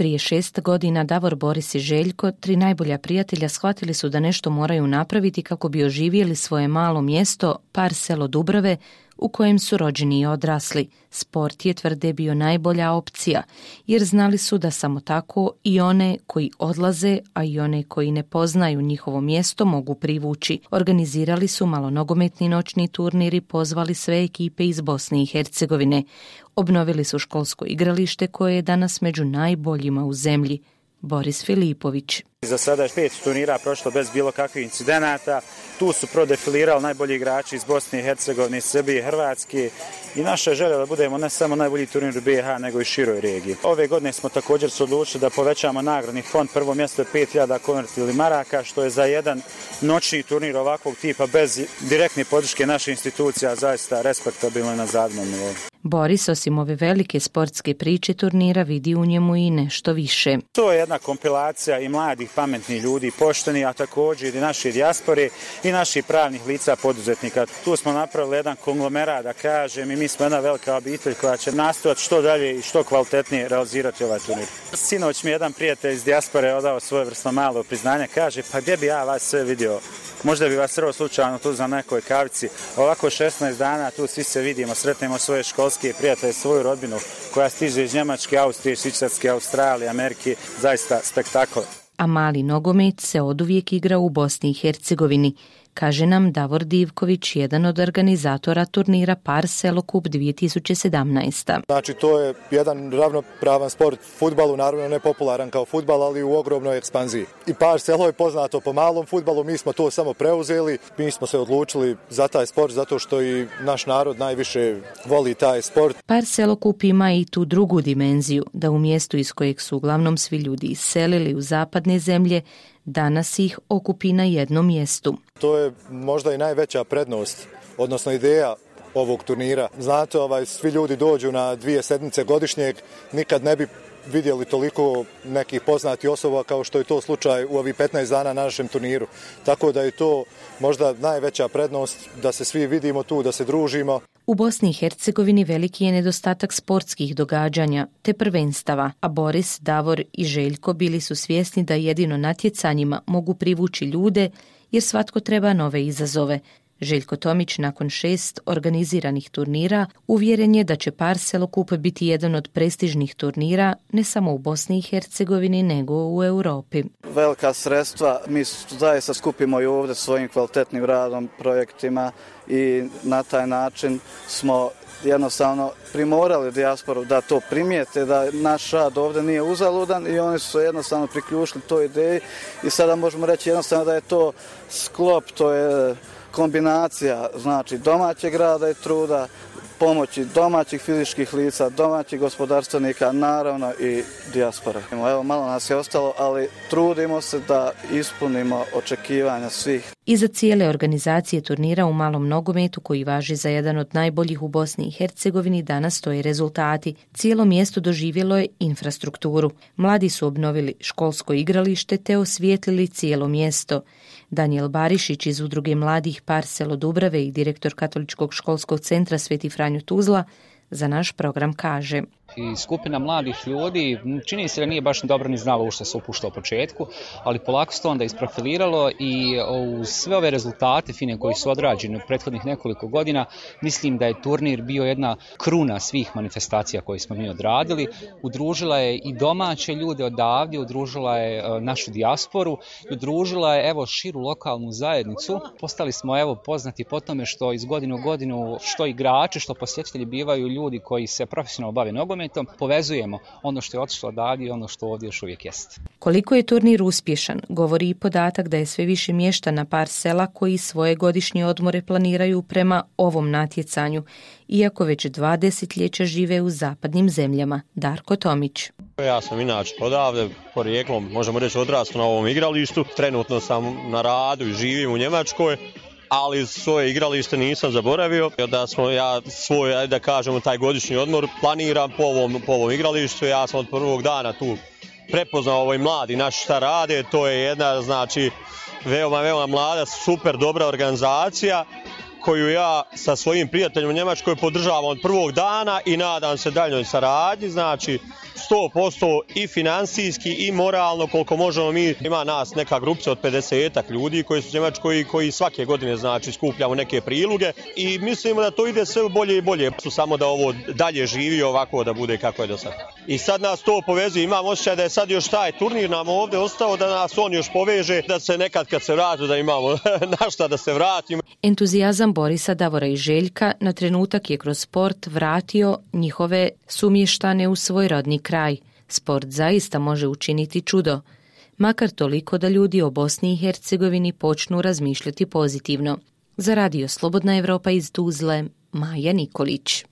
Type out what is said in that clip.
Prije 6 godina Davor, Boris i Željko, 3 najbolja prijatelja, shvatili su da nešto moraju napraviti kako bi oživjeli svoje malo mjesto, par selo Dubrave, u kojem su rođeni i odrasli. Sport je, tvrde, bio najbolja opcija, jer znali su da samo tako i one koji odlaze, a i one koji ne poznaju njihovo mjesto mogu privući. Organizirali su malonogometni noćni turnir i pozvali sve ekipe iz Bosne i Hercegovine. Obnovili su školsko igralište koje je danas među najboljima u zemlji. Boris Filipović. Za sada je 5 turnira prošlo bez bilo kakvih incidenata. Tu su prodefilirali najbolji igrači iz Bosne i Hercegovine, Srbije i Hrvatske. I naša je želja da budemo ne samo najbolji turnir u BiH, nego i široj regiji. Ove godine smo također se odlučili da povećamo nagradni fond. Prvo mjesto je 5000 konvertibilnih maraka, što je za jedan noćni turnir ovakvog tipa bez direktne podrške naših institucija zaista respektabilno na zavidnom nivou. Boris, osim ove velike sportske priče turnira, vidi u njemu i nešto više. To je jedna kompilacija i mladih, pametnih ljudi, pošteni, a također i naše dijaspore i naših pravnih lica poduzetnika. Tu smo napravili jedan konglomerat, da kažem, i mi smo jedna velika obitelj koja će nastojati što dalje i što kvalitetnije realizirati ovaj turnir. Sinoć mi jedan prijatelj iz dijaspore odao svojevrsno malo priznanje, kaže, pa gdje bi ja vas sve vidio? Možda bi vas sreo slučajno tu za nekoj kavici. Ovako 16 dana tu svi se vidimo, sretnemo svoje školske prijatelje, svoju rodbinu koja stiže iz Njemačke, Austrije, Švicarske, Australije, Amerike. Zaista spektakl. A mali nogomet se oduvijek igra u Bosni i Hercegovini, kaže nam Davor Divković, jedan od organizatora turnira Par Selo Cup 2017. Znači, to je jedan ravnopravan sport fudbalu, naravno ne popularan kao fudbal, ali u ogromnoj ekspanziji. I Par Selo je poznato po malom fudbalu, mi smo to samo preuzeli, mi smo se odlučili za taj sport zato što i naš narod najviše voli taj sport. Par Selo Cup ima i tu drugu dimenziju, da u mjestu iz kojeg su uglavnom svi ljudi iselili u zapadne zemlje, danas ih okupi na jednom mjestu. To je možda i najveća prednost, odnosno ideja ovog turnira. Znate, svi ljudi dođu na 2 sedmice godišnjeg, nikad ne bi vidjeli toliko nekih poznatih osoba kao što je to slučaj u ovih 15 dana na našem turniru. Tako da je to možda najveća prednost da se svi vidimo tu, da se družimo. U Bosni i Hercegovini veliki je nedostatak sportskih događanja te prvenstava, a Boris, Davor i Željko bili su svjesni da jedino natjecanjima mogu privući ljude jer svatko treba nove izazove. Željko Tomić nakon 6 organiziranih turnira uvjeren je da će Par Selo Cup biti jedan od prestižnih turnira ne samo u Bosni i Hercegovini nego u Europi. Velika sredstva mi zaista skupimo i ovdje svojim kvalitetnim radom, projektima i na taj način smo jednostavno primorali dijasporu da to primijete, da naš rad ovdje nije uzaludan i oni su se jednostavno priključili toj ideji i sada možemo reći jednostavno da je to sklop, to je kombinacija, znači domaćeg rada i truda, pomoći domaćih fizičkih lica, domaćih gospodarstvenika, naravno i dijaspore. Evo, malo nas je ostalo, ali trudimo se da ispunimo očekivanja svih. Iza cijele organizacije turnira u malom nogometu, koji važi za jedan od najboljih u Bosni i Hercegovini, danas stoje rezultati. Cijelo mjesto doživjelo je infrastrukturu. Mladi su obnovili školsko igralište te osvijetlili cijelo mjesto. Danijel Barišić iz udruge mladih Par Selo Dubrave i direktor Katoličkog školskog centra Sveti Franjo Tuzla za naš program kaže: I skupina mladih ljudi, čini se da nije baš dobro ni znalo u što se upušta u početku, ali polako se to onda isprofiliralo i uz sve ove rezultate fine koji su odrađeni u prethodnih nekoliko godina, mislim da je turnir bio jedna kruna svih manifestacija koje smo mi odradili. Udružila je i domaće ljude odavdje, udružila je našu dijasporu, udružila je širu lokalnu zajednicu. Postali smo poznati po tome što iz godine u godinu, što igrači, što posjetitelji bivaju ljudi koji se profesionalno bave nogometom, povezujemo ono što je otišlo odavdje i ono što ovdje još uvijek jest. Koliko je turnir uspješan, govori i podatak da je sve više mještana Par Sela koji svoje godišnje odmore planiraju prema ovom natjecanju, iako već 2 desetljeća žive u zapadnim zemljama. Darko Tomić. Ja sam inače odavde, porijeklom, možemo reći odrastao na ovom igralištu. Trenutno sam na radu i živim u Njemačkoj, ali svoje igralište nisam zaboravio. Da smo svoj, da kažemo, taj godišnji odmor planiram po ovom igralištu. Ja sam od prvog dana tu prepoznao mladi naši šta rade. To je jedna, znači, veoma mlada, super dobra organizacija koju ja sa svojim prijateljima u Njemačkoj podržavam od prvog dana i nadam se daljnjoj saradnji, znači 100% i finansijski i moralno koliko možemo mi. Ima nas neka grupica od 50 ljudi koji su u Njemačkoj i koji svake godine znači skupljamo neke priluge i mislimo da to ide sve bolje i bolje. Samo da ovo dalje živi ovako da bude kako je do sada. I sad nas to povezuje, imam osjećaj da je sad još taj turnir nam ovdje ostao, da nas on još poveže, da se nekad kad se vrati da imamo na šta da se vratimo. Entuzijazam Borisa, Davora i Željka na trenutak je kroz sport vratio njihove sumještane u svoj rodni kraj. Sport zaista može učiniti čudo, makar toliko da ljudi o Bosni i Hercegovini počnu razmišljati pozitivno. Za Radio Slobodna Evropa iz Tuzle, Maja Nikolić.